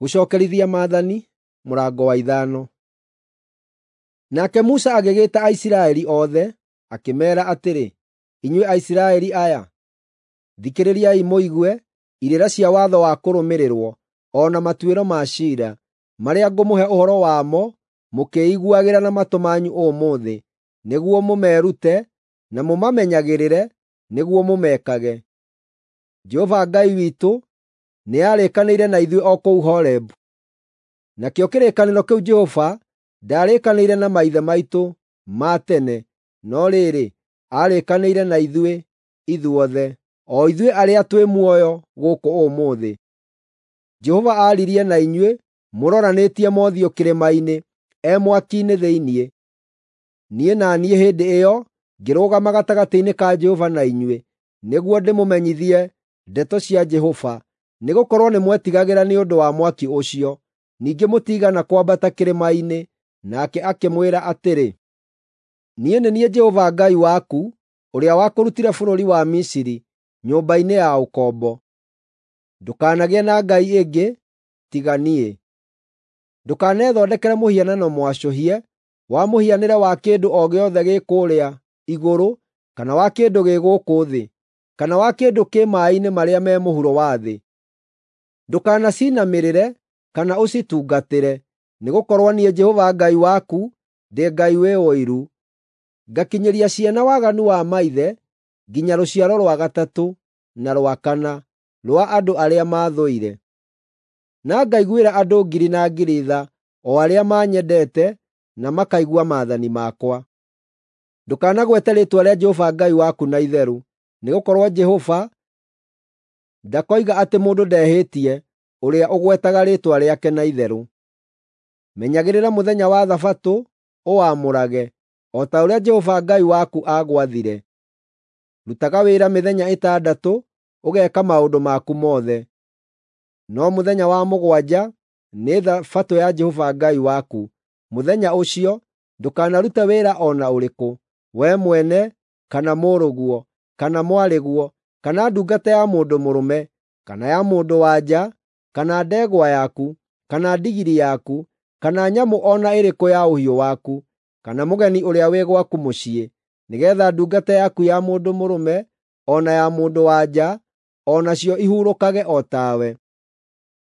Gũcookerithia maathani, mũrango wa 5. Nake Musa agĩgĩĩta Aisiraeli othe, akĩmeera atĩrĩ, “Inyuĩ Aisiraeli aya, thikĩrĩriai mũigue irĩra cia watho wa kũrũmĩrĩrwo, o na matuĩro ma ciira, marĩa ngũmũhe ũhoro wamo mũkĩĩiguagĩra na matũ manyu ũmũthĩ, nĩguo mũmeerute na mũmamenyagĩrĩre nĩguo mũmekage. Jehova Ngai witũ nĩarĩkanĩire na ithuĩ o kũu Horebu. Nakĩo kĩrĩkanĩro kĩu Jehova ndaarĩkanĩire na maithe maitũ ma tene, no rĩrĩ, aarĩkanĩire na ithuĩ ithuothe, o ithuĩ arĩa twĩ muoyo gũkũ ũmũthĩ. Jehova aaririe na inyuĩ mũroranĩtie mothiũ kĩrĩma-inĩ e mwaki-inĩ thĩinĩ. Niĩ na niĩ hĩndĩ ĩyo ngĩrũgama gatagatĩ-inĩ ka Jehova na inyuĩ, nĩguo ndĩmũmenyithie ndeto cia Jehova, nĩgũkorwo nĩmwetigagĩra nĩ ũndũ wa mwaki ũcio. Ningĩ mũtiigana kwambata kĩrĩma-inĩ. Nake akĩmwĩra atĩrĩ, “Niĩ nĩ niĩ Jehova Ngai waku, ũrĩa wakũrutire bũrũri wa Misiri, nyũmba-inĩ ya ũkombo. Ndũkanagĩe na ngai ĩngĩ tiga niĩ. Ndũkanethondekere mũhianano mwacũhie wa mũhianĩre wa kĩndũ o gĩothe gĩ kũũrĩa igũrũ kana wa kĩndũ gĩ gũkũ thĩ, kana wa kĩndũ kĩ maaĩ-inĩ marĩa me mũhuro wa thĩ. Ndũkanacinamĩrĩre kana ũcitungatĩre, nĩgũkorwo niĩ Jehova Ngai waku ndĩ Ngai wĩ ũiru, ngakinyĩria ciana waganu wa maithe nginya rũciaro rwa gatatũ na rwa kana rwa andũ arĩa maathũire, na ngaiguĩra andũ ngiri na ngiri tha, o arĩa manyendete na makaigua maathani makwa. Ndũkanagwete rĩĩtwa rĩa Jehova Ngai waku na itherũ, nĩgũkorwo Jehova ndakoiga atĩ mũndũ ndehĩtie ũrĩa ũgwetaga rĩĩtwa rĩake na itherũ. Menyagĩrĩra mũthenya wa Thabatũ ũwamũrage, o ta ũrĩa Jehova Ngai waku aagwathire. Rutaga wĩra mĩthenya ĩtandatũ ũgeeka maũndũ maku mothe. No mũthenya wa mũgwanja nĩ Thabatũ ya Jehova Ngai waku. Mũthenya ũcio ndũkanarute wĩra o na ũrĩkũ, wee mwene, kana mũrũguo, kana mwarĩguo, kana ndungata ya mũndũ mũrũme, kana ya mũndũ-wa-nja, kana ndegwa yaku, kana ndigiri yaku, kana nyamũ o na ĩrĩkũ ya ũhiũ waku, kana mũgeni ũrĩa wĩ gwaku mũciĩ, nĩgeetha ndungata yaku ya mũndũ mũrũme o na ya mũndũ-wa-nja o nacio ihurũkage o tawe.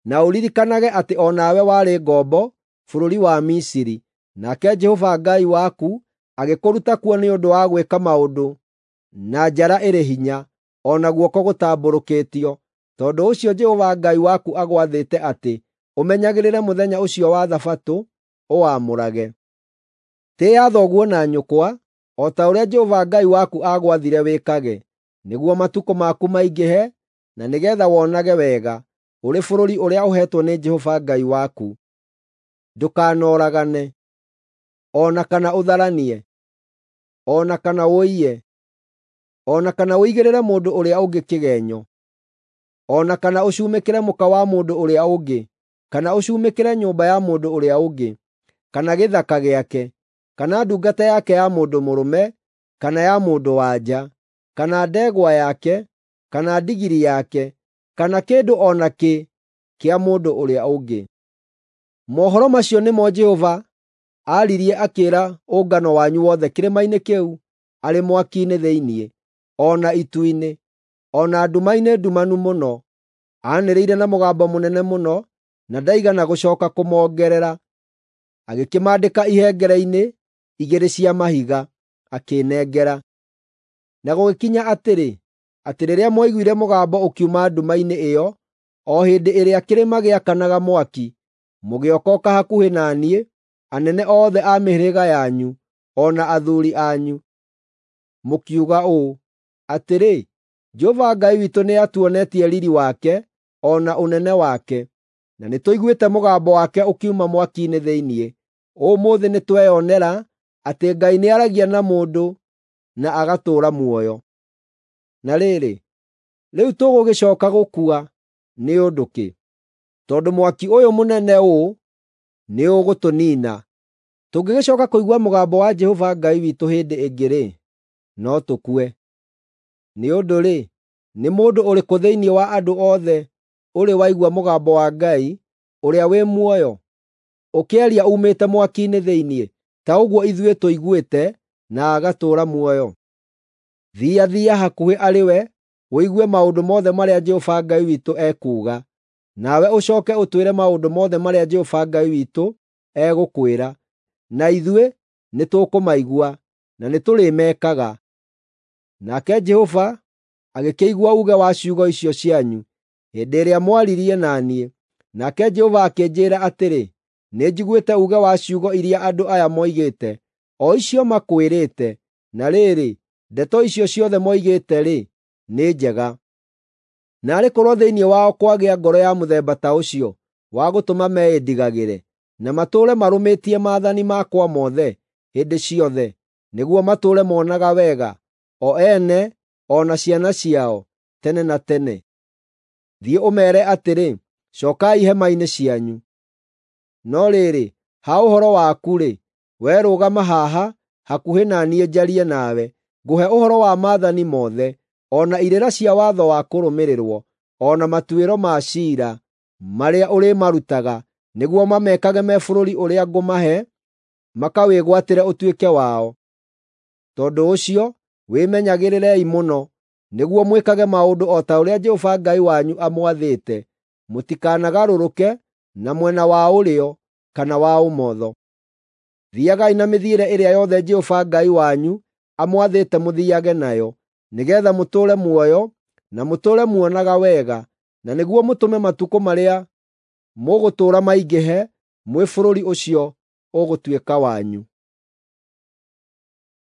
Na ũririkanage atĩ o nawe warĩ ngombo bũrũri wa Misiri, nake Jehova Ngai waku agĩkũruta kuo nĩ ũndũ wa gwĩka maũndũ na njara ĩrĩ hinya, o na guoko gũtambũrũkĩtio. Tondũ ũcio Jehova Ngai waku agwathĩte atĩ ũmenyagĩrĩre mũthenya ũcio wa Thabatũ ũwamũrage. Tĩĩa thoguo na nyũkwa, o ta ũrĩa Jehova Ngai waku aagwathire wĩkage, nĩguo matukũ maku maingĩhe na nĩgeetha wonage wega ũrĩ bũrũri ũrĩa ũheetwo nĩ Jehova Ngai waku. Ndũkanoragane, o na kana ũtharanie, o na kana ũiye, o na kana ũigĩrĩre mũndũ ũrĩa ũngĩ kĩgeenyo, o na kana ũcumĩkĩre mũka wa mũndũ ũrĩa ũngĩ, kana ũcumĩkĩre nyũmba ya mũndũ ũrĩa ũngĩ, kana gĩthaka gĩake, kana ndungata yake ya mũndũ mũrũme kana ya mũndũ-wa-nja, kana ndegwa yake, kana ndigiri yake, kana kĩndũ o nakĩ kĩa mũndũ ũrĩa ũngĩ. Mohoro macio nĩmo Jehova aaririe akĩĩra ũngano wanyu wothe kĩrĩma-inĩ kĩu arĩ mwaki-inĩ thĩinĩ, o na itu-inĩ, o na nduma-inĩ ndumanu mũno. Aanĩrĩire na mũgambo mũnene mũno, na ndaigana gũcooka kũmongerera. Agĩkĩmaandĩka ihengere-inĩ igĩrĩ cia mahiga, akĩĩnengera. Na gũgĩkinya atĩrĩ, atĩ rĩrĩa mwaiguire mũgambo ũkiuma nduma-inĩ ĩyo, o hĩndĩ ĩrĩa kĩrĩma gĩakanaga mwaki, mũgĩokooka hakuhĩ na niĩ, anene othe a mĩhĩrĩga yanyu, o na athuuri anyu. Mũkiuga ũũ, “Atĩrĩ, Jehova Ngai witũ nĩatuonetie riiri wake o na ũnene wake, na nĩtũiguĩte mũgambo wake ũkiuma mwaki-inĩ thĩinĩ. Ũmũthĩ nĩtweyonera atĩ Ngai nĩaragia na mũndũ na agatũũra muoyo. Na rĩrĩ, rĩu tũgũgĩcooka gũkua nĩ ũndũ kĩ? Tondũ mwaki ũyũ mũnene ũũ nĩũgũtũniina. Tũngĩgĩcooka kũigua mũgambo wa Jehova Ngai witũ hĩndĩ ĩngĩ-rĩ, no tũkue. Nĩ ũndũ-rĩ, nĩ mũndũ ũrĩkũ thĩinĩ wa andũ othe ũrĩ waigua mũgambo wa Ngai ũrĩa wĩ muoyo, ũkĩaria uumĩte mwaki-inĩ thĩinĩ, ta ũguo ithuĩ tũiguĩte, na agatũũra muoyo? Thiathia hakuhĩ arĩ we, ũigue maũndũ mothe marĩa Jehova Ngai witũ ekuuga. Nawe ũcooke ũtwĩre maũndũ mothe marĩa Jehova Ngai witũ egũkwĩra, na ithuĩ nĩtũkũmaigua, na nĩtũrĩmekaga. Nake Jehova agĩkĩigua uuge wa ciugo icio cianyu hĩndĩ ĩrĩa mwaririe na niĩ. Nake Jehova akĩnjĩĩra atĩrĩ, “Nĩnjiguĩte uuge wa ciugo iria andũ aya moigĩte, o icio makwĩrĩte. Na rĩrĩ, ndeto icio ciothe moigĩte-rĩ, nĩ njega. Naarĩ korwo thĩinĩ wao kwagĩa ngoro ya mũthemba ta ũcio wa gũtũma meĩndigagĩre, na matũũre marũmĩtie maathani makwa mothe hĩndĩ ciothe, nĩguo matũũre monaga wega, o ene o na ciana ciao, tene na tene. Thiĩ ũmeere atĩrĩ, ‘Cookai hema-inĩ cianyu.’ No rĩrĩ, ha ũhoro waku-rĩ, wee rũgama haha hakuhĩ na niĩ njarie nawe, ngũhe ũhoro wa maathani mothe, o na irĩra cia watho wa kũrũmĩrĩrwo, o na matuĩro ma ciira marĩa ũrĩmarutaga, nĩguo mamekage me bũrũri ũrĩa ngũmahe makawĩgwatĩre ũtuĩke wao. Tondũ ũcio, wĩmenyagĩrĩrei mũno, nĩguo mwĩkage maũndũ o ta ũrĩa Jehova Ngai wanyu amwathĩte. Mũtikanagarũrũke na mwena wa ũrĩo kana wa ũmotho. Thiiagai na mĩthiĩre ĩrĩa yothe Jehova Ngai wanyu amwathĩte mũthiiage nayo, nĩgeetha mũtũũre muoyo na mũtũũre muonaga wega, na nĩguo mũtũme matukũ marĩa mũgũtũũra maingĩhe mwĩ bũrũri ũcio ũgũtuĩka wanyu.